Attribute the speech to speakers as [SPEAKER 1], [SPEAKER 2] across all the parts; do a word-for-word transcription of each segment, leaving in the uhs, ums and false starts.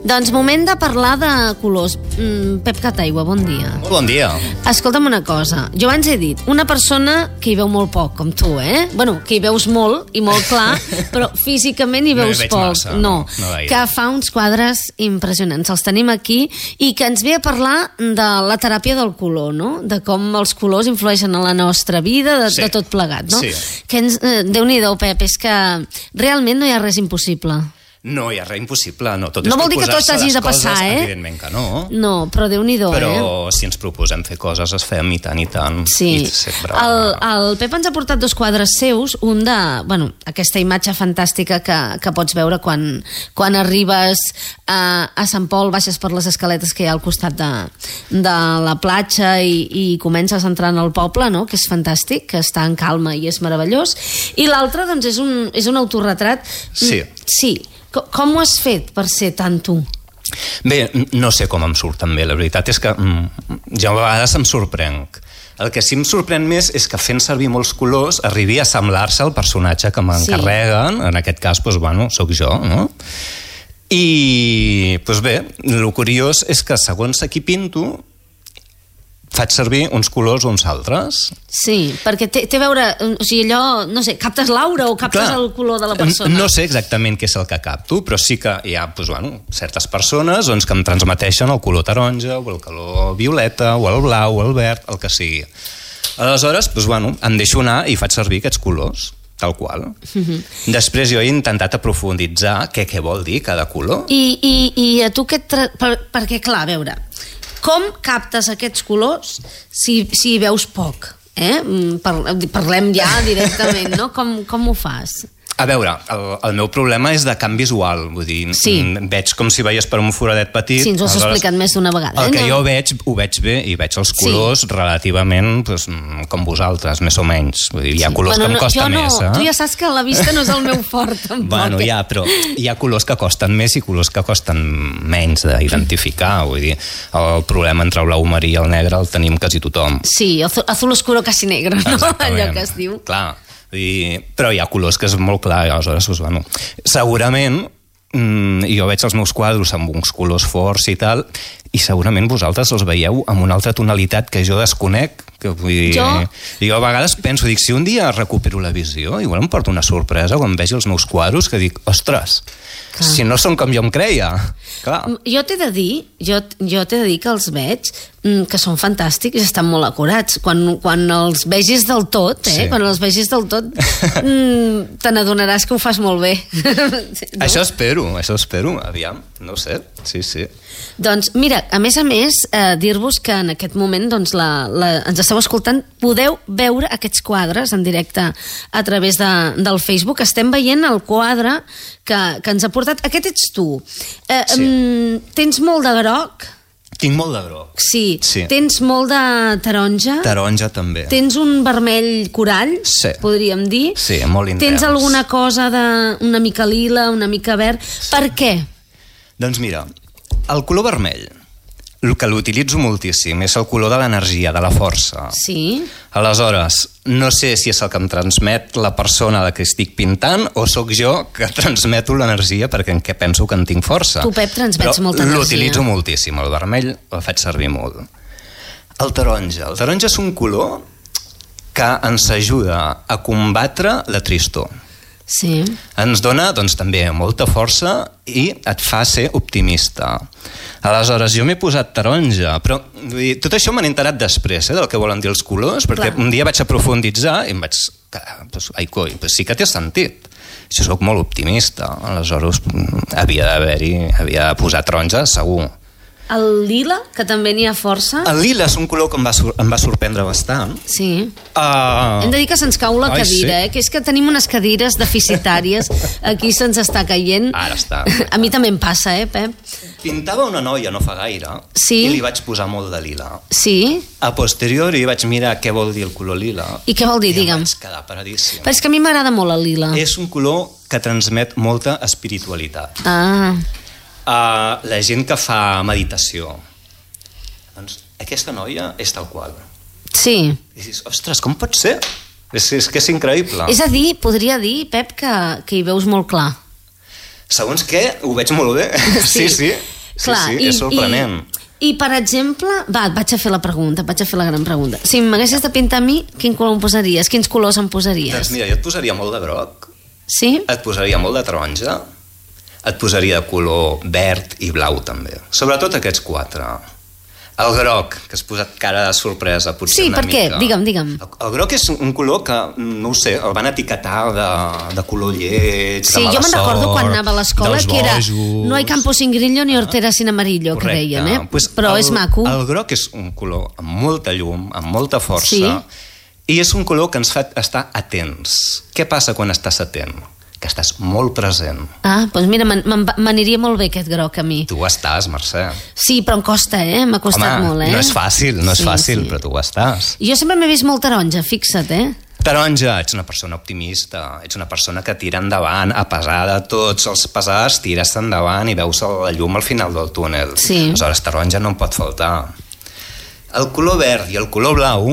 [SPEAKER 1] Doncs moment de parlar de colors. Mm, Pep Cataigua, bon dia.
[SPEAKER 2] Molt bon dia.
[SPEAKER 1] Escolta'm una cosa. Jo abans he dit, una persona que hi veu molt poc, com tu, eh? Bueno, que hi veus molt i molt clar, però físicament hi veus
[SPEAKER 2] no hi
[SPEAKER 1] poc.
[SPEAKER 2] massa,
[SPEAKER 1] no,
[SPEAKER 2] no, no
[SPEAKER 1] que fa uns quadres impressionants. Els tenim aquí i que ens ve a parlar de la teràpia del color, no? De com els colors influeixen en la nostra vida, de,
[SPEAKER 2] sí.
[SPEAKER 1] de tot plegat, no?
[SPEAKER 2] Sí.
[SPEAKER 1] Que ens, eh, Déu-n'hi-do, Pep, és que realment no hi ha res impossible.
[SPEAKER 2] No hi ha res impossible, no. Tot
[SPEAKER 1] no
[SPEAKER 2] és
[SPEAKER 1] vol dir que tot hagi de passar,
[SPEAKER 2] coses,
[SPEAKER 1] eh?
[SPEAKER 2] Evidentment que no.
[SPEAKER 1] No, però Déu-n'hi-do,
[SPEAKER 2] però
[SPEAKER 1] eh?
[SPEAKER 2] Però si ens proposem fer coses, es fem i tant i tant.
[SPEAKER 1] Sí.
[SPEAKER 2] I sempre...
[SPEAKER 1] el, el Pep ens ha portat dos quadres seus, un de, bueno, aquesta imatge fantàstica que, que pots veure quan, quan arribes a, a Sant Pol, baixes per les escaletes que hi ha al costat de, de la platja i, i comences a entrar en el poble, no? Que és fantàstic, que està en calma i és meravellós. I l'altre, doncs, és un, és un autorretrat.
[SPEAKER 2] Sí.
[SPEAKER 1] Sí. Com, com ho has fet per ser tant tu?
[SPEAKER 2] Bé, no sé com em surt també, la veritat és que mm, jo a vegades em sorprenc. El que sí em sorprèn més és que fent servir molts colors arribi a semblar-se al personatge que m'encarreguen, sí. En aquest cas, doncs, bueno, sóc jo, no? I, doncs bé, el curiós és que segons a qui pinto, faig servir uns colors o uns altres.
[SPEAKER 1] Sí, perquè té, té a veure, o sigui, allò, no sé, captes l'aura o captes Clar, el color de la persona?
[SPEAKER 2] No sé exactament què és el que capto, però sí que hi ha doncs, bueno, certes persones doncs, que em transmeteixen el color taronja o el color violeta o el blau o el verd, el que sigui. Aleshores, doncs, bueno, em deixo anar i faig servir aquests colors, tal qual. Uh-huh. Després jo he intentat aprofunditzar què, què vol dir cada color.
[SPEAKER 1] I, i, i a tu què et tra... per, perquè, clar, a veure, com captes aquests colors si, si hi veus poc? Eh? Parlem ja directament, no? Com, com ho fas?
[SPEAKER 2] A veure, el, el meu problema és de camp visual, vull dir,
[SPEAKER 1] sí.
[SPEAKER 2] veig com si veies per un foradet petit.
[SPEAKER 1] Sí, ens ho has explicat més d'una vegada.
[SPEAKER 2] El
[SPEAKER 1] eh?
[SPEAKER 2] que
[SPEAKER 1] no?
[SPEAKER 2] jo veig, ho veig bé i veig els colors sí. relativament doncs, com vosaltres, més o menys. Vull dir, hi ha colors
[SPEAKER 1] bueno,
[SPEAKER 2] que em costa
[SPEAKER 1] no,
[SPEAKER 2] més. Eh?
[SPEAKER 1] Tu ja saps que la vista no és el meu fort, tampoc.
[SPEAKER 2] Bueno, ja, però hi ha colors que costen més i colors que costen menys d'identificar. Vull dir, el problema entre el blau marí i el negre el tenim quasi tothom.
[SPEAKER 1] Sí, azul oscuro casi negro, no? Exactament. Allò que es diu.
[SPEAKER 2] Clar. I, però hi ha colors que és molt clar, aleshores, doncs, bueno, segurament mm, jo veig els meus quadros amb uns colors forts i tal, i segurament vosaltres els veieu amb una altra tonalitat que jo desconec, que vull dir,
[SPEAKER 1] jo?
[SPEAKER 2] jo a vegades penso, dic, si un dia recupero la visió, igual em porto una sorpresa quan vegi els meus quadros, que dic, ostres, clar. Si no són com jo em creia. Clar.
[SPEAKER 1] Jo t'he de dir, jo, jo t'he de dir que els veig, que són fantàstics i estan molt acurats. Quan, quan els vegis del tot, eh? Sí. Quan els vegis del tot, te n'adonaràs que ho fas molt bé.
[SPEAKER 2] No? Això espero, això espero, aviam, no ho sé, sí, sí.
[SPEAKER 1] Doncs mira, a més a més, eh, dir-vos que en aquest moment doncs, la, la, ens esteu escoltant, podeu veure aquests quadres en directe a través de, del Facebook. Estem veient el quadre que, que ens ha portat. Aquest ets tu. Eh, sí. um, tens molt de groc?
[SPEAKER 2] Tinc molt de groc.
[SPEAKER 1] Sí.
[SPEAKER 2] sí.
[SPEAKER 1] Tens molt de taronja?
[SPEAKER 2] Taronja també.
[SPEAKER 1] Tens un vermell corall,
[SPEAKER 2] sí. podríem
[SPEAKER 1] dir?
[SPEAKER 2] Sí, molt intens.
[SPEAKER 1] Tens alguna cosa de una mica lila, una mica verd? Sí. Per què?
[SPEAKER 2] Doncs mira, el color vermell, el que l'utilitzo moltíssim, és el color de l'energia, de la força.
[SPEAKER 1] Sí.
[SPEAKER 2] Aleshores, no sé si és el que em transmet la persona de que estic pintant o sóc jo que transmeto l'energia perquè en què penso que en tinc força.
[SPEAKER 1] Tu, Pep, transmets
[SPEAKER 2] Però
[SPEAKER 1] molta energia.
[SPEAKER 2] L'utilitzo moltíssim, el vermell el faig servir molt. El taronja. El taronja és un color que ens ajuda a combatre la tristor.
[SPEAKER 1] Sí.
[SPEAKER 2] Ens dona, doncs, també molta força i et fa ser optimista. Aleshores, jo m'he posat taronja, però vull dir, tot això m'han enterat després, eh, del que volen dir els colors, perquè Clar. un dia vaig aprofunditzar i em vaig... Pues, ai, coi, pues sí que té sentit. Jo soc molt optimista, aleshores havia d'haver-hi, havia de posar taronja, segur.
[SPEAKER 1] El lila, que també n'hi ha força.
[SPEAKER 2] El lila és un color que em va, em va sorprendre bastant.
[SPEAKER 1] Sí.
[SPEAKER 2] Uh...
[SPEAKER 1] Hem de dir que se'ns cau la
[SPEAKER 2] Ai,
[SPEAKER 1] cadira,
[SPEAKER 2] sí?
[SPEAKER 1] eh? Que és que tenim unes cadires deficitàries. Aquí se'ns està caient.
[SPEAKER 2] Ara està.
[SPEAKER 1] A mi també em passa, eh, Pep?
[SPEAKER 2] Pintava una noia no fa gaire
[SPEAKER 1] sí?
[SPEAKER 2] i li vaig posar molt de lila.
[SPEAKER 1] Sí?
[SPEAKER 2] A posteriori vaig mirar què vol dir el color lila.
[SPEAKER 1] I què vol dir,
[SPEAKER 2] I
[SPEAKER 1] digue'm?
[SPEAKER 2] I vaig quedar paradíssim.
[SPEAKER 1] Però és que a mi m'agrada molt el lila.
[SPEAKER 2] És un color que transmet molta espiritualitat.
[SPEAKER 1] Ah.
[SPEAKER 2] Uh, la gent que fa meditació, doncs aquesta noia és tal qual.
[SPEAKER 1] Sí.
[SPEAKER 2] I dius, ostres, com pot ser? És, és que és increïble.
[SPEAKER 1] És a dir, podria dir, Pep, que, que hi veus molt clar.
[SPEAKER 2] Segons què, ho veig molt bé. Sí, sí. sí. Sí, Clar, sí, i, és sorprenent.
[SPEAKER 1] I, I, per exemple, va, et vaig a fer la pregunta, vaig a fer la gran pregunta. Si m'haguessis de pintar a mi, quin color em posaries? Quins colors em posaries?
[SPEAKER 2] Doncs mira, jo et posaria molt de groc.
[SPEAKER 1] Sí?
[SPEAKER 2] Et posaria molt de taronja. Et posaria de color verd i blau, també. Sobretot aquests quatre. El groc, que has posat cara de sorpresa, potser
[SPEAKER 1] sí,
[SPEAKER 2] una
[SPEAKER 1] mica. Sí, per què? Digue'm, digue'm.
[SPEAKER 2] El, el groc és un color que, no ho sé, el van etiquetar de, de color lleig,
[SPEAKER 1] sí,
[SPEAKER 2] de mala
[SPEAKER 1] jo me'n recordo quan anava a l'escola que era no hay campo sin grillo ni hortera sin amarillo,
[SPEAKER 2] correcte.
[SPEAKER 1] Que deien, eh?
[SPEAKER 2] Pues
[SPEAKER 1] però
[SPEAKER 2] el,
[SPEAKER 1] és maco.
[SPEAKER 2] El groc és un color amb molta llum, amb molta força,
[SPEAKER 1] sí.
[SPEAKER 2] I és un color que ens fa estar atents. Què passa quan estàs atent? Que estàs molt present.
[SPEAKER 1] Ah, doncs mira, m'aniria molt bé aquest groc a mi.
[SPEAKER 2] Tu ho estàs, Mercè.
[SPEAKER 1] Sí, però em costa, eh? M'ha costat
[SPEAKER 2] Home,
[SPEAKER 1] molt, eh?
[SPEAKER 2] no és fàcil, no és
[SPEAKER 1] sí,
[SPEAKER 2] fàcil,
[SPEAKER 1] sí.
[SPEAKER 2] Però tu ho estàs.
[SPEAKER 1] Jo sempre m'he vist molt taronja, fixa't, eh?
[SPEAKER 2] Taronja, ets una persona optimista, ets una persona que tira endavant, a pesar de tots els pesars, tires endavant i veus la llum al final del túnel.
[SPEAKER 1] Sí.
[SPEAKER 2] Aleshores, taronja no em pot faltar. El color verd i el color blau,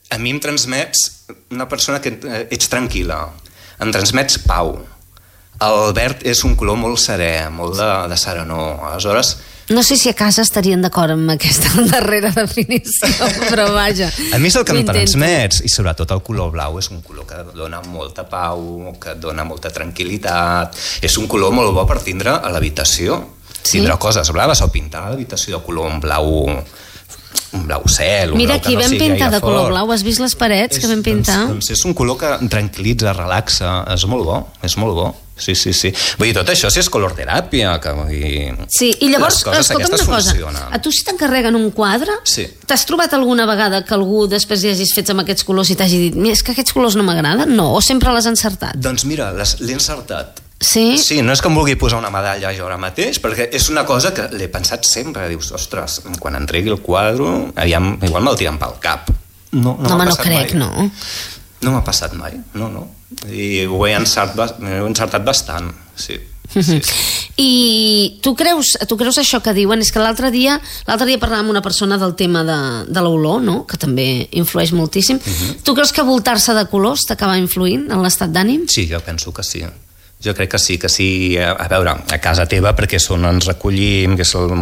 [SPEAKER 2] a mi em transmets una persona que ets tranquil·la, em transmets pau. El verd és un color molt serè, molt de, de serenor. Aleshores...
[SPEAKER 1] No sé si a casa estarien d'acord amb aquesta darrera definició, però vaja.
[SPEAKER 2] A mi és el que em transmets, i sobretot el color blau és un color que dona molta pau, que dona molta tranquil·litat. És un color molt bo per tindre a l'habitació. Sí? Tindre coses blaves o pintar l'habitació de color en blau... un blau cel, un
[SPEAKER 1] mira,
[SPEAKER 2] blau que no sigui gaire fort. Mira, aquí vam pintar de color blau, has vist les parets és, que vam pintar? Doncs, doncs és un color que tranquil·litza, relaxa, és molt bo, és molt bo. Sí, sí, sí. Vull dir, tot això sí és color teràpia. Que, vull dir,
[SPEAKER 1] sí, i llavors, escolta'm una cosa, funcionen. A tu si t'encarreguen un quadre,
[SPEAKER 2] sí.
[SPEAKER 1] T'has trobat alguna vegada que algú després hi hagis fet amb aquests colors i t'hagi dit, és que aquests colors no m'agraden? No, o sempre l'has encertat?
[SPEAKER 2] Doncs mira, l'he encertat.
[SPEAKER 1] Sí?
[SPEAKER 2] Sí, no és que em vulgui posar una medalla jo ara mateix, perquè és una cosa que l'he pensat sempre. Dius, ostres, quan entregui el quadre, aviam, igual me'l tiren pel cap. No, no,
[SPEAKER 1] no
[SPEAKER 2] m'ha
[SPEAKER 1] no
[SPEAKER 2] passat
[SPEAKER 1] crec,
[SPEAKER 2] mai.
[SPEAKER 1] No.
[SPEAKER 2] No m'ha passat mai, no, no. I ho he encertat, he encertat bastant, sí. Sí, sí.
[SPEAKER 1] I tu creus, tu creus això que diuen? És que l'altre dia l'altre dia parlàvem amb una persona del tema de, de l'olor, no? Que també influeix moltíssim. Uh-huh. Tu creus que voltar-se de colors t'acaba influint en l'estat d'ànim?
[SPEAKER 2] Sí, jo penso que sí. Jo crec que sí, que sí. A veure, a casa teva, perquè és on ens recollim, que és, el,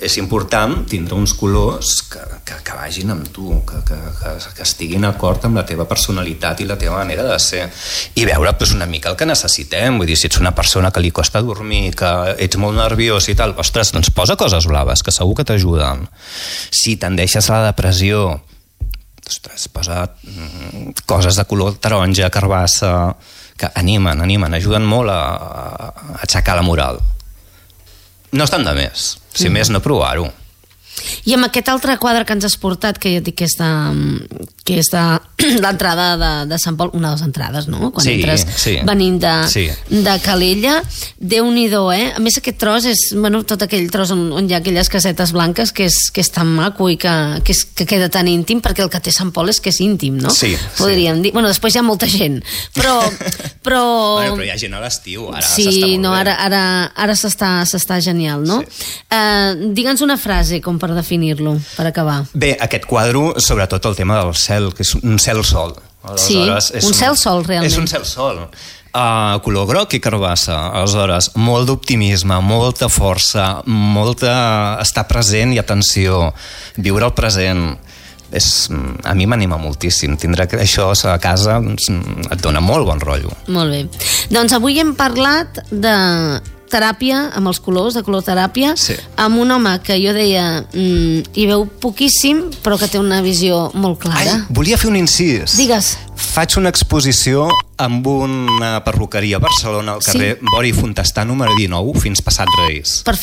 [SPEAKER 2] és important tindre uns colors que, que, que vagin amb tu, que, que, que, que estiguin d'acord amb la teva personalitat i la teva manera de ser. I veure pues, una mica el que necessitem. Vull dir, si ets una persona que li costa dormir, que ets molt nerviós i tal, ostres, doncs posa coses blaves, que segur que t'ajuden. Si tendeixes a la depressió, ostres, posa mm, coses de color taronja, carbassa, que animen, animen, ajuden molt a, a aixecar la moral. No estan de més, si mm. més no provar-ho.
[SPEAKER 1] I amb aquest altre quadre que ens has portat, que jo dic que és de, que és de l'entrada de, de Sant Pol, una de les entrades, no? Quan
[SPEAKER 2] sí,
[SPEAKER 1] entres
[SPEAKER 2] sí.
[SPEAKER 1] venint de,
[SPEAKER 2] sí.
[SPEAKER 1] de Calella, Déu-n'hi-do, eh? A més aquest tros és, bueno, tot aquell tros on, on hi ha aquelles casetes blanques que és, que és tan maco i que, que, és, que queda tan íntim, perquè el que té Sant Pol és que és íntim, no?
[SPEAKER 2] Sí,
[SPEAKER 1] podríem
[SPEAKER 2] sí.
[SPEAKER 1] dir. Bueno, després hi ha molta gent, però... però...
[SPEAKER 2] Bueno, però hi ha gent a l'estiu, ara
[SPEAKER 1] sí,
[SPEAKER 2] s'està molt
[SPEAKER 1] no,
[SPEAKER 2] bé.
[SPEAKER 1] ara, ara, ara s'està, s'està genial, no? Sí. Uh, Digue'ns una frase com per definir-lo, per acabar.
[SPEAKER 2] Bé, aquest quadre, sobretot el tema del cel, que és un cel-sol.
[SPEAKER 1] Sí, un cel-sol, realment.
[SPEAKER 2] És un cel-sol. Uh, color groc i carbassa. Aleshores, molt d'optimisme, molta força, molta estar present i atenció, viure el present. És, a mi m'anima moltíssim. Tindre això a casa et dona molt bon rotllo.
[SPEAKER 1] Molt bé. Doncs avui hem parlat de teràpia, amb els colors, de color teràpia,
[SPEAKER 2] sí.
[SPEAKER 1] Amb un home que jo deia mmm, hi veu poquíssim, però que té una visió molt clara.
[SPEAKER 2] Ai, volia fer un incís.
[SPEAKER 1] Digues.
[SPEAKER 2] Faig una exposició amb una perruqueria a Barcelona, al carrer sí. Bori Fontestà número dinou, fins passat Reis.
[SPEAKER 1] Perfecte.